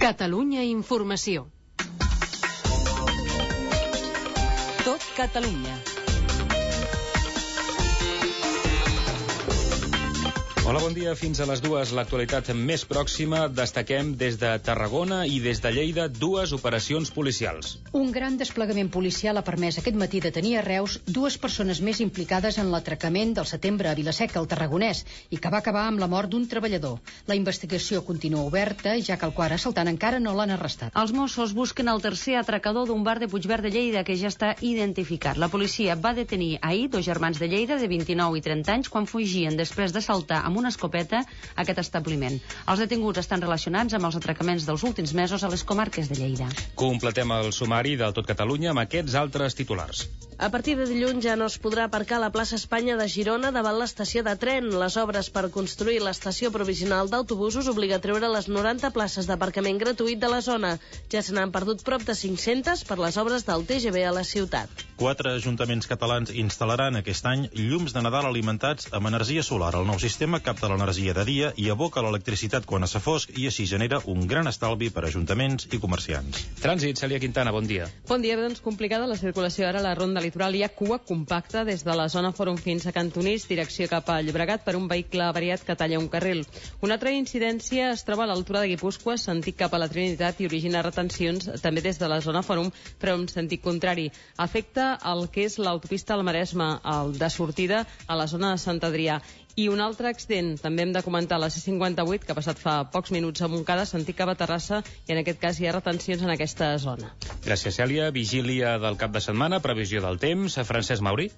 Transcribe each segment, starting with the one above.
Catalunya Informació. Tot Catalunya. Hola, bon dia. Fins a les 2, l'actualitat més pròxima. Destaquem des de Tarragona i des de Lleida 2 operacions policials. Un gran desplegament policial ha permès aquest matí detenir a Reus 2 persones més implicades en l'atracament del setembre a Vila-seca, al Tarragonès, i que va acabar amb la mort d'un treballador. La investigació continua oberta, ja que el quart assaltant encara no l'han arrestat. Els Mossos busquen el tercer atracador d'un bar de Puigverd de Lleida, que ja està identificat. La policia va detenir ahir 2 germans de Lleida de 29 i 30 anys quan fugien després d'assaltar amb una escopeta aquest establiment. Els detinguts estan relacionats amb els atracaments dels últims mesos a les comarques de Lleida. Completem el sumari del Tot Catalunya amb aquests altres titulars. A partir de dilluns ja no es podrà aparcar a la plaça Espanya de Girona davant l'estació de tren. Les obres per construir l'estació provisional d'autobusos obliga a treure les 90 places d'aparcament gratuït de la zona. Ja se n'han perdut prop de 500 per les obres del TGV a la ciutat. 4 ajuntaments catalans instal·laran aquest any llums de Nadal alimentats amb energia solar. El nou sistema capta l'energia de dia i aboca l'electricitat quan es fa fosc i així genera un gran estalvi per a ajuntaments i comerciants. Trànsit, Cèlia Quintana, bon dia. Bon dia, doncs complicada la circulació ara a la ronda litoral. Hi ha cua compacta des de la zona Fòrum fins a Cantonís, direcció cap a Llobregat, per un vehicle avariat que talla un carril. Una altra incidència es troba a l'altura de Guipúscoa, sentit cap a la Trinitat, i origina retencions també des de la zona Fòrum, però en sentit contrari. Afecta el que és l'autopista al Maresme, el de sortida a la zona de Sant Adrià. I un altre accident, també hem de comentar la C58, que ha passat fa pocs minuts a Montcada, sentit cap a Terrassa, i en aquest cas hi ha retencions en aquesta zona. Gràcies, Cèlia. Vigília del cap de setmana, previsió del temps. Francesc Mauri.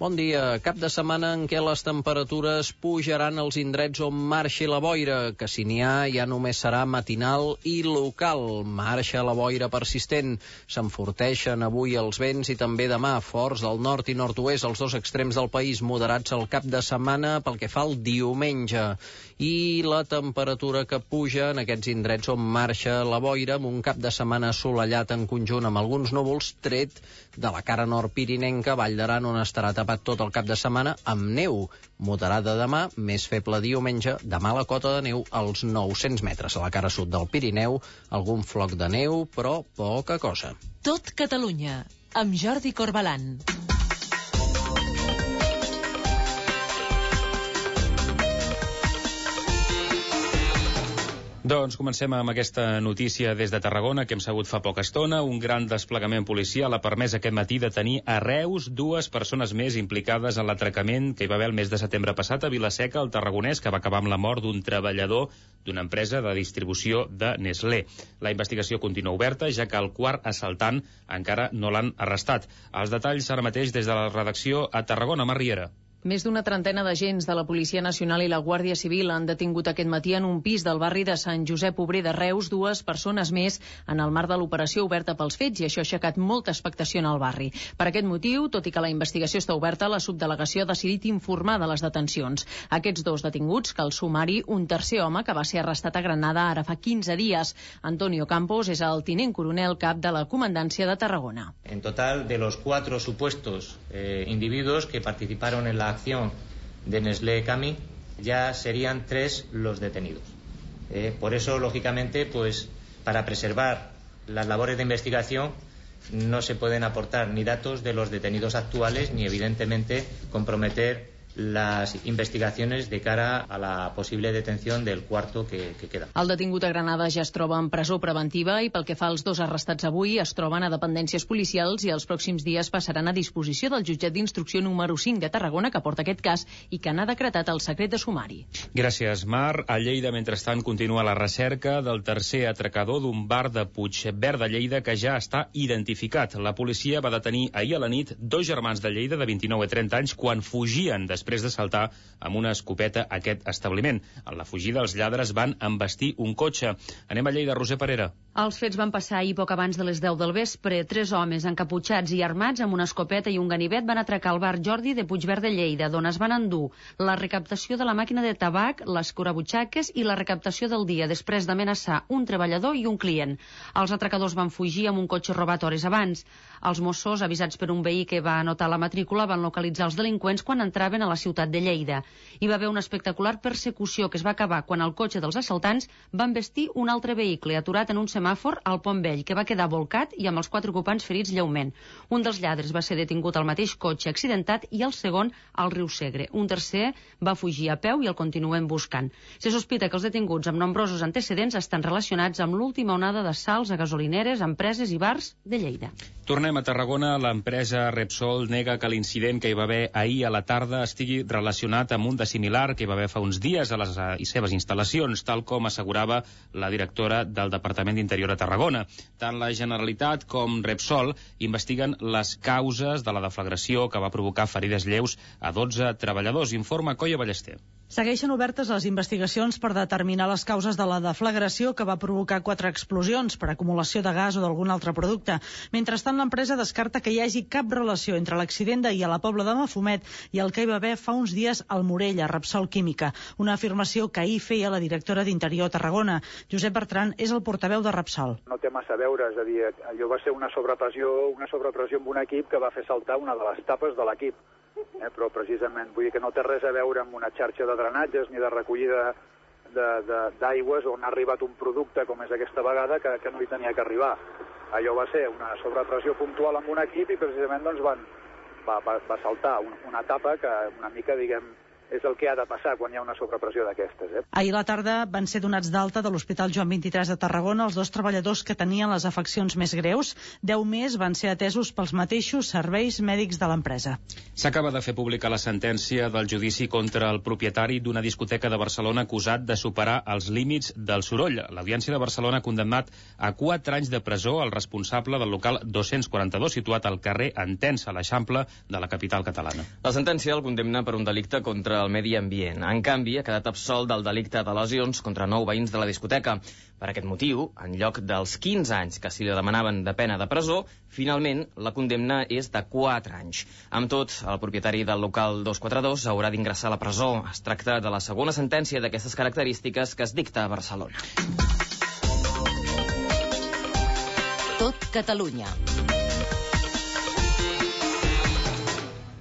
Bon dia. Cap de setmana en què les temperatures pujaran als indrets on marxi la boira, que si n'hi ha ja només serà matinal i local. Marxa la boira persistent. S'enforteixen avui els vents i també demà forts del nord i nord-oest, als 2 extrems del país, moderats al cap de setmana pel que fa al diumenge. I la temperatura que puja en aquests indrets on marxa la boira, amb un cap de setmana assolellat en conjunt amb alguns núvols, tret de la cara nord pirinenca, Vall d'Aran, on estarà tapat tot el cap de setmana amb neu. Moderada demà, més feble diumenge. Demà la cota de neu als 900 metres. A la cara sud del Pirineu, algun floc de neu, però poca cosa. Tot Catalunya, amb Jordi Corbalan. Doncs comencem amb aquesta notícia des de Tarragona, que hem sabut fa poca estona. Un gran desplegament policial ha permès aquest matí detenir a Reus 2 persones més implicades en l'atracament que hi va haver el mes de setembre passat a Vila-seca, al Tarragonès, que va acabar amb la mort d'un treballador d'una empresa de distribució de Nestlé. La investigació continua oberta, ja que el quart assaltant encara no l'han arrestat. Els detalls ara mateix des de la redacció a Tarragona. Mar Riera. Més d'una trentena d'agents de la Policia Nacional i la Guàrdia Civil han detingut aquest matí en un pis del barri de Sant Josep Obrer de Reus 2 persones més en el marc de l'operació oberta pels fets, i això ha aixecat molta expectació en el barri. Per aquest motiu, tot i que la investigació està oberta, la subdelegació ha decidit informar de les detencions. Aquests 2 detinguts, cal sumar-hi un tercer home que va ser arrestat a Granada ara fa 15 dies. Antonio Campos és el tinent coronel cap de la Comandància de Tarragona. En total, de los 4 supuestos individuos que participaron en la acción de Nestlé Cami, ya serían 3 los detenidos. Por eso, lógicamente, pues para preservar las labores de investigación no se pueden aportar ni datos de los detenidos actuales ni, evidentemente, comprometer las investigaciones de cara a la posible detención del cuarto que queda. El detingut a Granada ja es troba en presó preventiva i pel que fa als 2 arrestats avui es troben a dependències policials i els pròxims dies passaran a disposició del jutjat d'instrucció número 5 de Tarragona, que porta aquest cas i que n'ha decretat el secret de sumari. Gràcies, Mar. A Lleida, mentrestant, continua la recerca del tercer atracador d'un bar de Puigverd de Lleida que ja està identificat. La policia va detenir ahir a la nit 2 germans de Lleida de 29 i 30 anys quan fugien després d'assaltar amb una escopeta aquest establiment. En la fugida, els lladres van embestir un cotxe. Anem a Lleida, Roser Parera. Els fets van passar ahir poc abans de les 10 del vespre. 3 homes encaputxats i armats amb una escopeta i un ganivet van atracar el bar Jordi de Puigverd de Lleida, d'on es van endur la recaptació de la màquina de tabac, les curabutxaques i la recaptació del dia, després d'amenaçar un treballador i un client. Els atracadors van fugir amb un cotxe robat hores abans. Els Mossos, avisats per un veí que va anotar la matrícula, van localitzar els delinqüents quan entraven a la ciutat de Lleida. Hi va haver una espectacular persecució que es va acabar quan el cotxe dels assaltants va embestir un altre vehicle aturat en un semàfor al Pont Vell, que va quedar volcat i amb els 4 ocupants ferits lleument. Un dels lladres va ser detingut al mateix cotxe accidentat i el segon al riu Segre. Un tercer va fugir a peu i el continuen buscant. Se sospita que els detinguts amb nombrosos antecedents estan relacionats amb l'última onada d'assalts a gasolineres, empreses i bars de Lleida. Tornem a Tarragona. L'empresa Repsol nega que l'incident que hi va haver ahir a la tarda estigui relacionat amb un de similar que hi va haver fa uns dies a les seves instal·lacions, tal com assegurava la directora del Departament d'Interior a Tarragona. Tant la Generalitat com Repsol investiguen les causes de la deflagració que va provocar ferides lleus a 12 treballadors. Informa Coia Ballester. Segueixen obertes les investigacions per determinar les causes de la deflagració que va provocar 4 explosions per acumulació de gas o d'algun altre producte. Mentrestant, l'empresa descarta que hi hagi cap relació entre l'accident d'ahir a la Pobla de Mafumet i el que hi va haver fa uns dies al Morell, a Repsol Química. Una afirmació que ahir feia la directora d'Interior a Tarragona. Josep Bertran és el portaveu de Repsol. No té massa a veure, és a dir, allò va ser una sobrepressió amb un equip que va fer saltar una de les tapes de l'equip. Però precisament vull dir que no té res a veure amb una xarxa de drenatges ni de recollida d'aigües on ha arribat un producte com és aquesta vegada que no hi tenia que arribar. Allò va ser una sobrepressió puntual amb un equip i precisament doncs va saltar una tapa que una mica, diguem, és el que ha de passar quan hi ha una sobrepressió d'aquestes. Ahir a la tarda van ser donats d'alta de l'Hospital Joan 23 de Tarragona els 2 treballadors que tenien les afeccions més greus. 10 més van ser atesos pels mateixos serveis mèdics de l'empresa. S'acaba de fer pública la sentència del judici contra el propietari d'una discoteca de Barcelona acusat de superar els límits del soroll. L'Audiència de Barcelona ha condemnat a 4 anys de presó el responsable del local 242 situat al carrer Entença, a l'Eixample de la capital catalana. La sentència el condemna per un delicte contra el medi ambient. En canvi, ha quedat absolt del delicte de lesions contra 9 veïns de la discoteca. Per aquest motiu, en lloc dels 15 anys que s'hi demanaven de pena de presó, finalment la condemna és de 4 anys. Amb tot, el propietari del local 242 haurà d'ingressar a la presó. Es tracta de la segona sentència d'aquestes característiques que es dicta a Barcelona. Tot Catalunya.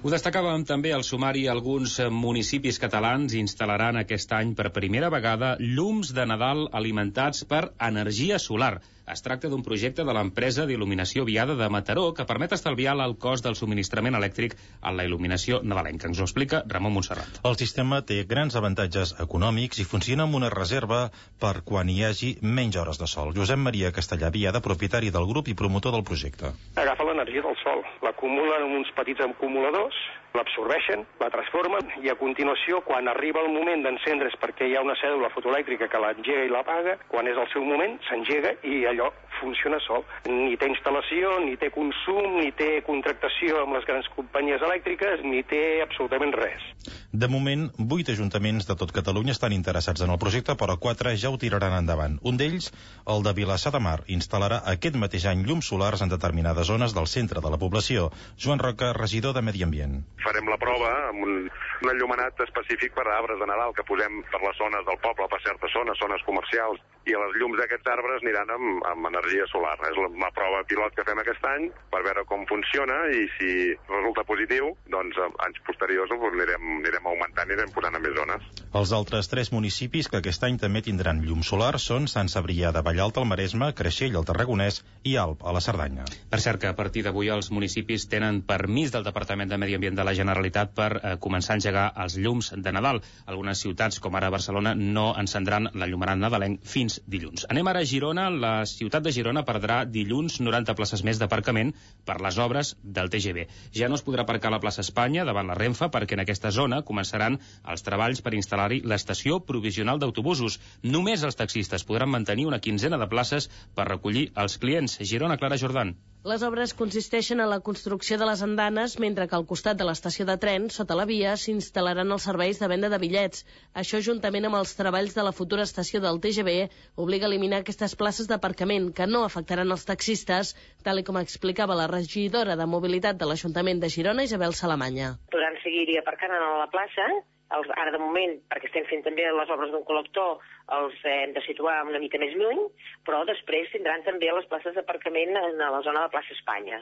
Ho destacàvem també al sumari. Alguns municipis catalans instal·laran aquest any per primera vegada llums de Nadal alimentats per energia solar. Es tracta d'un projecte de l'empresa d'il·luminació Viada de Mataró que permet estalviar el cost del subministrament elèctric en la il·luminació nadalenca. Ens ho explica Ramon Montserrat. El sistema té grans avantatges econòmics i funciona amb una reserva per quan hi hagi menys hores de sol. Josep Maria Castellà Viada, propietari del grup i promotor del projecte. Agafa l'energia del sol, l'acumulen en uns petits acumuladors, l'absorbeixen, la transformen i a continuació, quan arriba el moment d'encendre's perquè hi ha una cèdula fotoelèctrica que l'engega i l'apaga, quan és el seu moment, s'engega i allò funciona sol. Ni té instal·lació, ni té consum, ni té contractació amb les grans companyies elèctriques, ni té absolutament res. De moment, 8 ajuntaments de tot Catalunya estan interessats en el projecte, però 4 ja ho tiraran endavant. Un d'ells, el de Vilassar de Mar, instal·larà aquest mateix any llums solars en determinades zones del centre de la població. Joan Roca, regidor de Medi Ambient. Farem la prova amb un enllumenat específic per a arbres de Nadal que posem per les zones del poble, per certes zones comercials, i les llums d'aquests arbres aniran amb energia solar. És la prova pilot que fem aquest any per veure com funciona i si resulta positiu, doncs anys posteriors anirem augmentant i anirem posant a més zones. Els altres 3 municipis que aquest any també tindran llum solar són Sant Cebrià de Vallalta al Maresme, Creixell al Tarragonès i Alp a la Cerdanya. Per cert que a partir d'avui els municipis tenen permís del Departament de Medi Ambient de la Generalitat per començar a engegar els llums de Nadal. Algunes ciutats, com ara Barcelona, no encendran l'enllumenat nadalenc fins dilluns. Anem ara a Girona. La ciutat de Girona perdrà dilluns 90 places més d'aparcament per les obres del TGV. Ja no es podrà aparcar a la plaça Espanya davant la Renfe perquè en aquesta zona començaran els treballs per instal·lar-hi l'estació provisional d'autobusos. Només els taxistes podran mantenir una quinzena de places per recollir els clients. Girona, Clara Jordan. Les obres consisteixen en la construcció de les andanes, mentre que al costat de l'estació de tren, sota la via, s'instal·laran els serveis de venda de bitllets. Això, juntament amb els treballs de la futura estació del TGV, obliga a eliminar aquestes places d'aparcament, que no afectaran els taxistes, tal com explicava la regidora de Mobilitat de l'Ajuntament de Girona, Isabel Salamanya. Podran seguir aparcant a la plaça. Ara, de moment, perquè estem fent també les obres d'un col·lector, els hem de situar una mica més lluny, però després tindran també les places d'aparcament a la zona de plaça Espanya.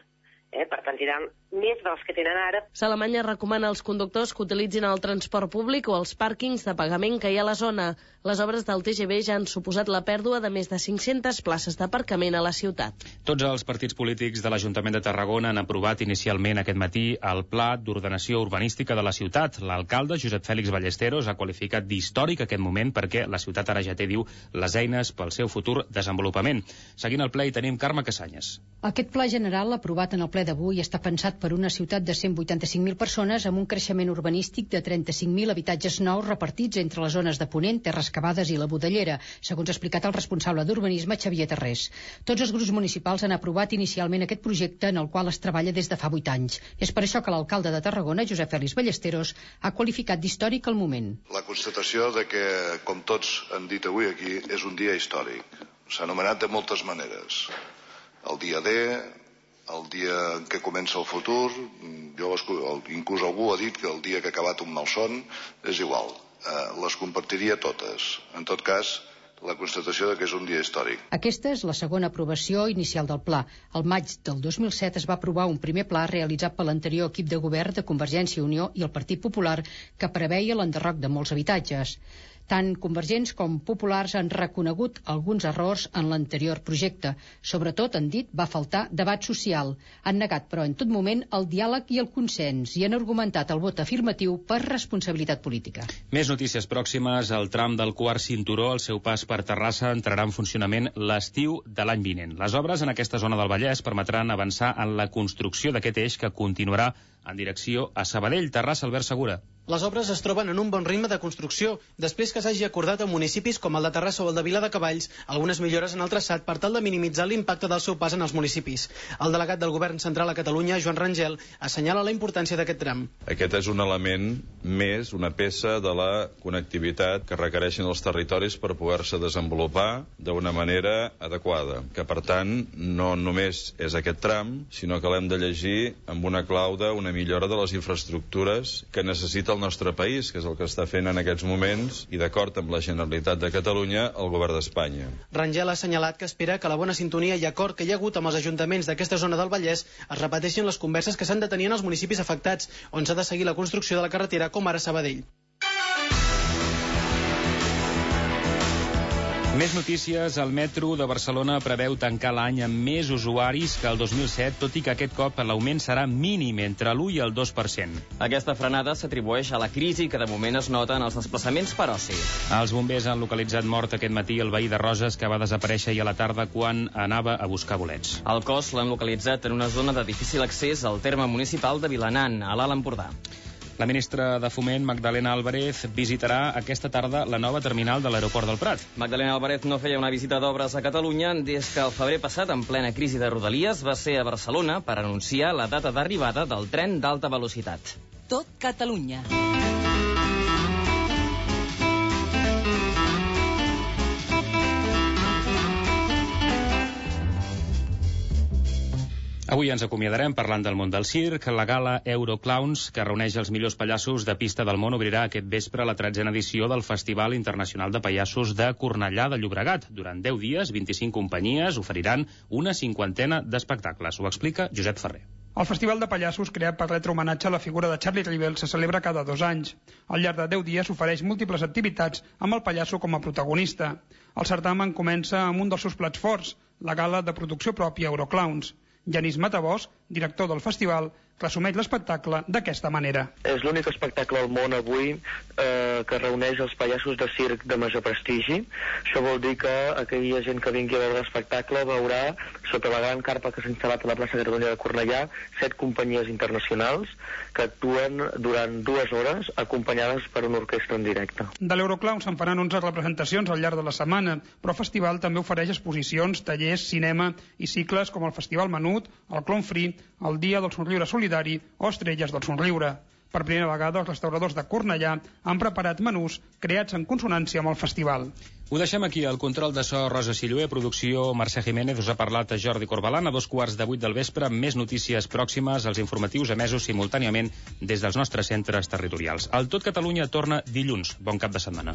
Per tant, tindran més dels que tenen ara. Salamanya recomana als conductors que utilitzin el transport públic o els pàrquings de pagament que hi ha a la zona. Les obres del TGV ja han suposat la pèrdua de més de 500 places d'aparcament a la ciutat. Tots els partits polítics de l'Ajuntament de Tarragona han aprovat inicialment aquest matí el Pla d'Ordenació Urbanística de la ciutat. L'alcalde, Josep Fèlix Ballesteros, ha qualificat d'històric aquest moment perquè la ciutat ara ja té, diu, les eines pel seu futur desenvolupament. Seguint el ple hi tenim Carme Casanyes. Aquest pla general aprovat en el ple d'avui està pensat per una ciutat de 185.000 persones amb un creixement urbanístic de 35.000 habitatges nous repartits entre les zones de Ponent, Terres Cavades i la Budellera, segons ha explicat el responsable d'urbanisme, Xavier Tarrés. Tots els grups municipals han aprovat inicialment aquest projecte en el qual es treballa des de fa 8 anys. És per això que l'alcalde de Tarragona, Josep Fèlix Ballesteros, ha qualificat d'històric el moment. La constatació de que, com tots han dit avui aquí, és un dia històric. S'ha anomenat de moltes maneres. El dia D, el dia en què comença el futur, inclús algú ha dit que el dia que ha acabat un malson, és igual, les compartiria totes. En tot cas, la constatació de que és un dia històric. Aquesta és la segona aprovació inicial del pla. Al maig del 2007 es va aprovar un primer pla realitzat per l'anterior equip de govern de Convergència i Unió i el Partit Popular que preveia l'enderroc de molts habitatges. Tant convergents com populars han reconegut alguns errors en l'anterior projecte. Sobretot, han dit, va faltar debat social. Han negat, però, en tot moment, el diàleg i el consens i han argumentat el vot afirmatiu per responsabilitat política. Més notícies pròximes. El tram del quart cinturó, al seu pas per Terrassa, entrarà en funcionament l'estiu de l'any vinent. Les obres en aquesta zona del Vallès permetran avançar en la construcció d'aquest eix que continuarà en direcció a Sabadell. Terrassa, Albert Segura. Les obres es troben en un bon ritme de construcció, després que s'hagi acordat amb municipis com el de Terrassa o el de Viladecavalls algunes millores en el traçat per tal de minimitzar l'impacte del seu pas en els municipis. El delegat del Govern Central a Catalunya, Joan Rangel, assenyala la importància d'aquest tram. Aquest és un element més, una peça de la connectivitat que requereixen els territoris per poder-se desenvolupar d'una manera adequada, que per tant no només és aquest tram, sinó que l'hem de llegir amb una clau d'una millora de les infraestructures que necessita el nostre país, que és el que està fent en aquests moments, i d'acord amb la Generalitat de Catalunya, el Govern d'Espanya. Rangel ha assenyalat que espera que la bona sintonia i acord que hi ha hagut amb els ajuntaments d'aquesta zona del Vallès es repeteixin les converses que s'han de tenir en els municipis afectats, on s'ha de seguir la construcció de la carretera, com ara Sabadell. Més notícies. El metro de Barcelona preveu tancar l'any amb més usuaris que el 2007, tot i que aquest cop l'augment serà mínim, entre l'1 i el 2%. Aquesta frenada s'atribueix a la crisi que de moment es nota en els desplaçaments per oci. Els bombers han localitzat mort aquest matí el veí de Roses, que va desaparèixer ahir a la tarda quan anava a buscar bolets. El cos l'han localitzat en una zona de difícil accés al terme municipal de Vilanant, a l'Alt Empordà. La ministra de Foment, Magdalena Álvarez, visitarà aquesta tarda la nova terminal de l'aeroport del Prat. Magdalena Álvarez no feia una visita d'obres a Catalunya des que el febrer passat, en plena crisi de Rodalies, va ser a Barcelona per anunciar la data d'arribada del tren d'alta velocitat. Tot Catalunya. Avui ens acomiadarem parlant del món del circ. La gala Euroclowns, que reuneix els millors pallassos de pista del món, obrirà aquest vespre la 13a edició del Festival Internacional de Pallassos de Cornellà de Llobregat. Durant 10 dies, 25 companyies oferiran una 50ena d'espectacles. Ho explica Josep Ferrer. El Festival de Pallassos, creat per retre homenatge a la figura de Charlie Rivel, se celebra cada 2 anys. Al llarg de 10 dies s'ofereix múltiples activitats amb el pallasso com a protagonista. El certamen comença amb un dels seus plats forts, la gala de producció pròpia Euroclowns. Genís Matabós, director del festival, resumeix l'espectacle d'aquesta manera. És l'únic espectacle al món avui que reuneix els pallassos de circ de major prestigi. Això vol dir que aquella gent que vingui a veure l'espectacle veurà sota la gran carpa que s'ha instal·lat a la plaça Catalunya de Cornellà, 7 companyies internacionals que actuen durant 2 hores acompanyades per una orquestra en directe. De l'Euroclown se'n faran 11 representacions al llarg de la setmana, però el festival també ofereix exposicions, tallers, cinema i cicles com el Festival Menut, el Clown Free, el Dia del Somriure Solidari o Estrelles del Somriure. Per primera vegada, els restauradors de Cornellà han preparat menús creats en consonància amb el festival. Ho deixem aquí, el control de so Rosa Sillué, producció Mercè Jiménez, us ha parlat Jordi Corbalan a 2:15 del vespre, més notícies pròximes, els informatius emesos simultàniament des dels nostres centres territorials. El Tot Catalunya torna dilluns. Bon cap de setmana.